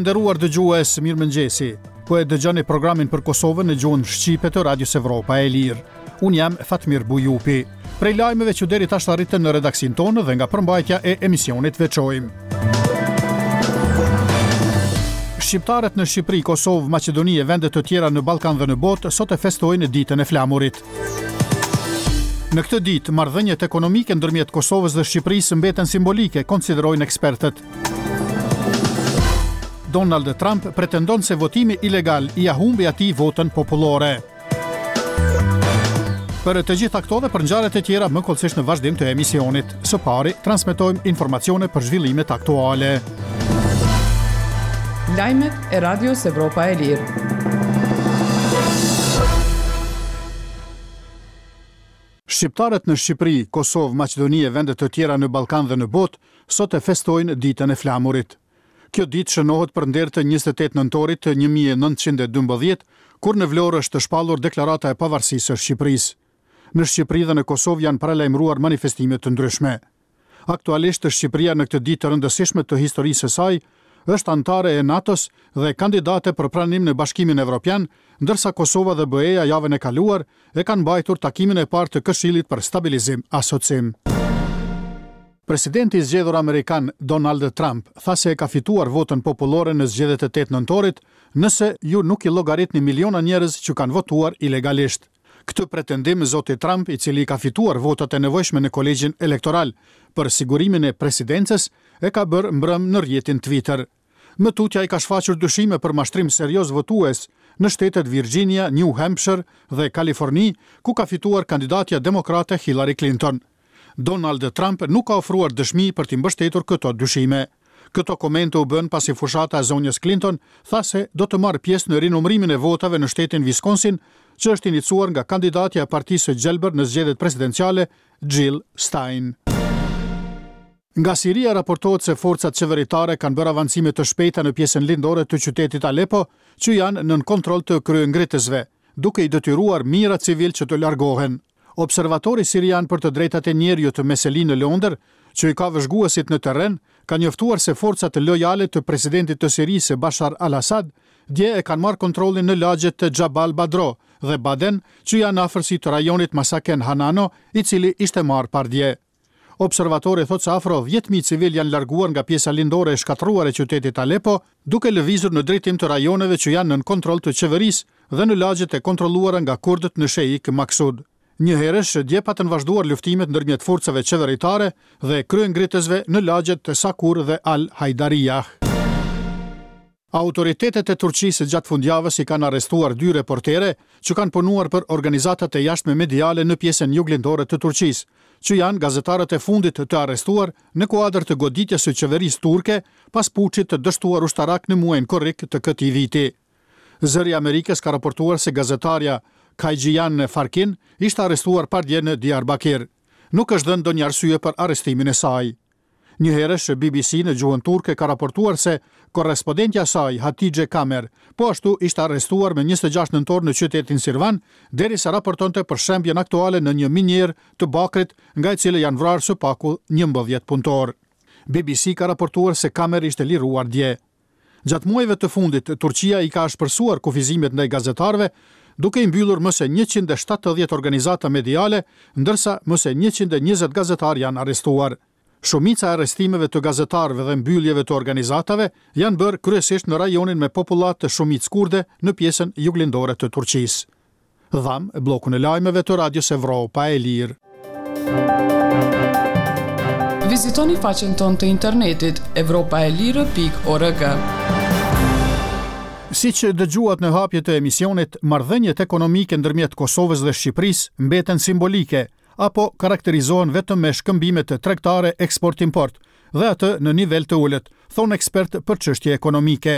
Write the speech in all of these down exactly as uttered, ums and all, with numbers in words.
nderuar dëgjues, mirëmëngjesi. Po e dëgjoni programin për Kosovën në gjuhën shqipe të Radios Evropa e Lirë. Unë jam Fatmir Bujupi. Prej lajmeve që deri tash arritën në redaksinë tonë dhe nga përmbajtja e emisionit veçojmë. Shqiptarët në Shqipëri, Kosovë, Maqedoni e vende të tjera në Ballkan dhe në botë sot e festojnë ditën e flamurit. Në këtë ditë, marrëdhëniet ekonomike ndërmjet Kosovës dhe Shqipërisë mbeten simbolike, konsiderojnë ekspertët. Donald Trump pretendon se votimi ilegal ia humbi atij votën popullore. Për të gjitha këto dhe për ngjarjet e tjera më hollësisht në vazhdim të emisionit. Së pari, transmetojmë informacione për zhvillimet aktuale. Lajmet e Radios Evropa e Lirë. Shqiptarët në Shqipëri, Kosovë, Maqedoni e vende të tjera në Ballkan dhe në botë sot e festojnë ditën e flamurit. Kjo ditë shënohet për nder të njëzet e tetë nëntorit të një mijë e nëntëqind e dymbëdhjetë, kur në Vlorë është shpallur deklarata e pavarësisë së Shqipërisë. Në Shqipëri dhe në Kosovë janë paralajmëruar manifestime të ndryshme. Aktualisht Shqipëria në këtë ditë të rëndësishme të historisë së saj është anëtare e NATO-s dhe kandidate për pranim në Bashkimin Evropian, ndërsa Kosova dhe B E-ja javën e kaluar e kanë mbajtur takimin e parë të Këshillit për Stabilizim Asocim. Presidenti i zgjedhur amerikan Donald Trump tha se e ka fituar votën popullore në zgjedhjet e tetë nëntorit, nëse ju nuk i llogaritni miliona njerëz që kanë votuar ilegalisht. Këtë pretendim zoti Trump, i cili ka fituar votat e nevojshme në kolegjin elektoral për sigurimin e presidencës, e ka bërë mbrëm në rrjetin Twitter. Më tutje ai ka shfaqur dyshime për mashtrim serioz votues në shtetet Virginia, New Hampshire dhe Kaliforni, ku ka fituar kandidatja demokrate Hillary Clinton. Donald Trump nuk ka ofruar dëshmi për t'i mbështetur këto dyshime. Këto komente u bën pasi fushata e zonjës Clinton tha se do të marrë pjesë në rinumërimin e votave në shtetin Wisconsin, që është iniciuar nga kandidatja e Partisë së Gjelbër në zgjedhjet presidenciale, Jill Stein. Nga Siria raportohet se forcat qeveritare kanë bërë avancime të shpejta në pjesën lindore të qytetit Aleppo, që janë nën kontroll të kryengritësve, duke i detyruar mijëra civil që të largohen. Observatori sirian për të drejtat e njeriut me seli në Londër, që i ka vëzhguesit në terren, ka njoftuar se forcat lojale të presidentit të Sirisë Bashar al-Assad dje e kanë marrë kontrollin në lagjet të Jabal Badro dhe Baden, që janë në afërsi të rajonit Masaken Hanano, i cili ishte marrë pardje. Observatori thotë se afro dhjetë mijë civil janë larguar nga pjesa lindore e shkatërruar e qytetit Aleppo, duke lëvizur në drejtim të rajoneve që janë nën kontroll të qeverisë dhe në lagjet e kontrolluara nga kurdët në Sheikh Maksud. Njëherësh, dje patën vazhduar luftimet ndërmjet forcave qeveritare dhe kryengritësve në lagjet të Sakur dhe Al-Hajdarijah. Autoritetet e Turqisë gjatë fundjavës i kanë arrestuar dy reportere që kanë punuar për organizatat e jashtme mediale në pjesën juglindore të Turqisë, që janë gazetarët e fundit të arrestuar në kuadër të goditjes së qeverisë turke pas puçit të dështuar ushtarak në muajin korrik të këtij viti. Zëri i Amerikës ka raportuar se gazetarja Kajgjian Farkin ishte arrestuar pardje në Diyarbakir. Nuk është dhënë ndonjë arsye për arrestimin e saj. Njëherësh, B B C në gjuhën turke ka raportuar se korrespondentja e saj, Hatice Kamer, po ashtu ishte arrestuar me njëzet e gjashtë nëntor në qytetin Sirvan, derisa raportonte për shembjen aktuale në një minierë të Bakrit, nga e cila janë vrarë së paku njëmbëdhjetë punëtor. B B C ka raportuar se Kamer ishte liruar dje. Gjatë muajve të fundit, Turqia i ka ashpërsuar kufizimet ndaj gazetarëve, duke i mbyllur më se njëqind e shtatëdhjetë organizata mediale, ndërsa më se njëqind e njëzet gazetarë janë arrestuar. Shumica e arrestimeve të gazetarëve dhe mbylljeve të organizatave janë bërë kryesisht në rajonin me popullatë të shumicë kurde në pjesën juglindore të Turqisë. Dham bllokun e lajmeve të Radios Evropa e Lirë. Vizitoni faqen tonë të internetit evropa e lirë pikë org. Si që dëgjuat në hapje të emisionit, marrëdhëniet ekonomike ndërmjet Kosovës dhe Shqipërisë mbeten simbolike apo karakterizohen vetëm me shkëmbimet tregtare eksport-import dhe atë në nivel të ulët, thonë ekspertë për çështje ekonomike.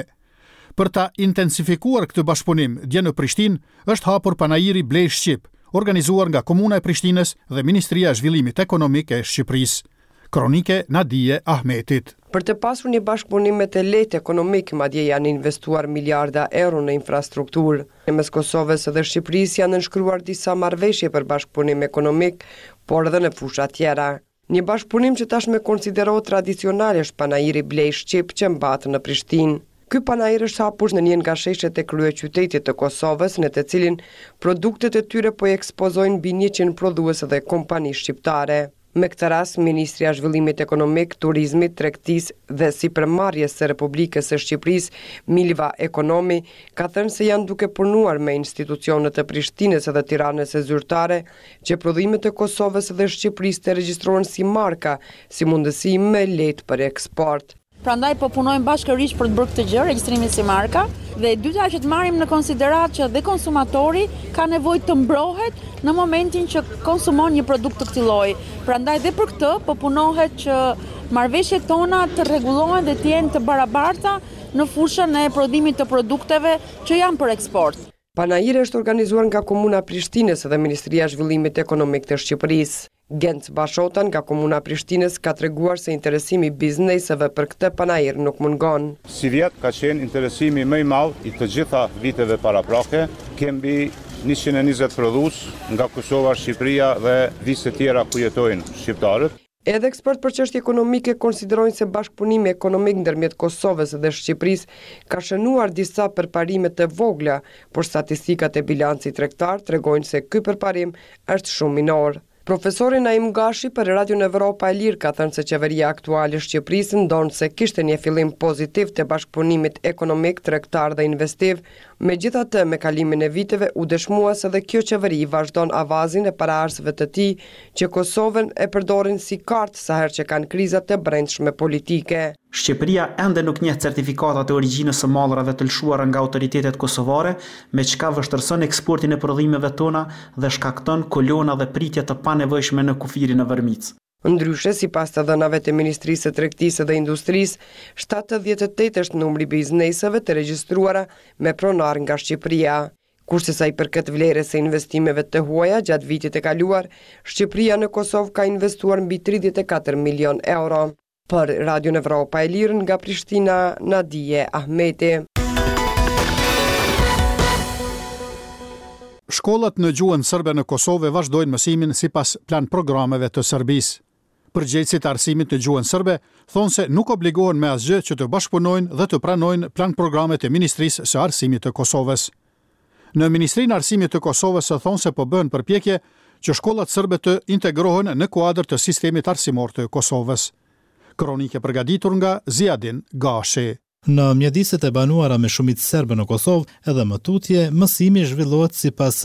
Për ta intensifikuar këtë bashkëpunim, dje në Prishtinë është hapur panairi Blej Shqip, organizuar nga Komuna e Prishtinës dhe Ministria e Zhvillimit Ekonomik e Shqipërisë. Kronike Nadie Ahmetit. Për të pasur një bashkëpunim me të lehtë ekonomik, madje janë investuar miliarda euro në infrastrukturë. Mes Kosovës dhe Shqipërisë janë nënshkruar disa marrëveshje për bashkëpunim ekonomik, por edhe në fusha tjera. Një bashkëpunim që tashmë konsiderohet tradicional është panairi Blej Shqip që mbahet në Prishtinë. Ky panair është hapur në një nga sheshet e kryeqytetit të Kosovës, në të cilin produktet e tyre po i ekspozojnë mbi njëqind prodhues dhe kompani shqiptare. Me këtë rast, Ministria e Zhvillimit Ekonomik, Turizmit, Tregtisë dhe Sipërmarrjes së Republikës së Shqipërisë, Milva Ekonomi, ka thënë se janë duke punuar me institucionet e Prishtinës dhe Tiranës e zyrtare që prodhimet e Kosovës dhe Shqipërisë të regjistrohen si marka, si mundësi më lehtë për eksport. Prandaj po punojmë bashkërisht për të bërë këtë gjë, regjistrimin si marka, dhe e dyta që të marrim në konsideratë që dhe konsumatori ka nevojë të mbrohet në momentin që konsumon një produkt të këtij lloji. Prandaj dhe për këtë po punohet që marrëveshjet tona të rregullohen dhe të jenë të barabarta në fushën e prodhimit të produkteve që janë për eksport. Panairi është organizuar nga Komuna e Prishtinës dhe Ministria e Zhvillimit Ekonomik të Shqipërisë. Genc Bashota nga Komuna e Prishtinës ka treguar se interesimi i bizneseve për këtë panair nuk mungon. Sivjet ka qenë interesimi më i madh i të gjitha viteve paraprake. Kemi njëqind e njëzet prodhues nga Kosova, Shqipëria dhe vise tjera ku jetojnë shqiptarët. Edhe ekspertë për çështje ekonomike konsiderojnë se bashkëpunimi ekonomik ndërmjet Kosovës dhe Shqipërisë ka shënuar disa përparime të vogla, por statistikat e bilancit tregtar tregojnë se ky përparim është shumë minor. Profesori Naim Gashi për Radion Evropa e Lirë ka thënë se qeveria aktuale e Shqipërisë ndonëse kishte një fillim pozitiv të bashkëpunimit ekonomik, tregtar dhe investiv, megjithatë me kalimin e viteve u dëshmua se edhe kjo qeveri vazhdon avazin e paraardhësve të tij që Kosovën e përdorin si kartë sa herë që kanë kriza të brendshme politike. Shqipëria ende nuk njeh certifikatat e origjinës së mallrave të lëshuara nga autoritetet kosovare, me çka vështirëson eksportin e prodhimeve tona dhe shkakton kolona dhe pritje të panevojshme në kufirin në Vërmicë. Ndryshe, sipas të dhënave të Ministrisë së Tregtisë dhe Industrisë, shtatëdhjetë e tetë është numri i bizneseve të regjistruara me pronar nga Shqipëria. Kurse sa i përket vlerës së investimeve të huaja gjatë vitit të kaluar, Shqipëria në Kosovë ka investuar mbi tridhjetë e katër milion euro. Për Radion Evropa e Lirë nga Prishtina, Nadie Ahmeti. Shkollat në gjuhën serbe në Kosovë vazhdojnë mësimin sipas plan programeve të Serbisë. Përgjegjësit e arsimit në gjuhën serbe thonë se nuk obligohen me asgjë që të bashkëpunojnë dhe të pranojnë plan programet e Ministrisë së Arsimit të Kosovës. Në Ministrinë e Arsimit të Kosovës thonë se po bëhen përpjekje që shkollat serbe të integrohen në kuadër të sistemit arsimor të Kosovës. Kronike përgatitur nga Ziadin Gashi. Në mjediset e banuara me shumicë serbe në Kosovë, edhe më tutje, mësimi zhvillohet sipas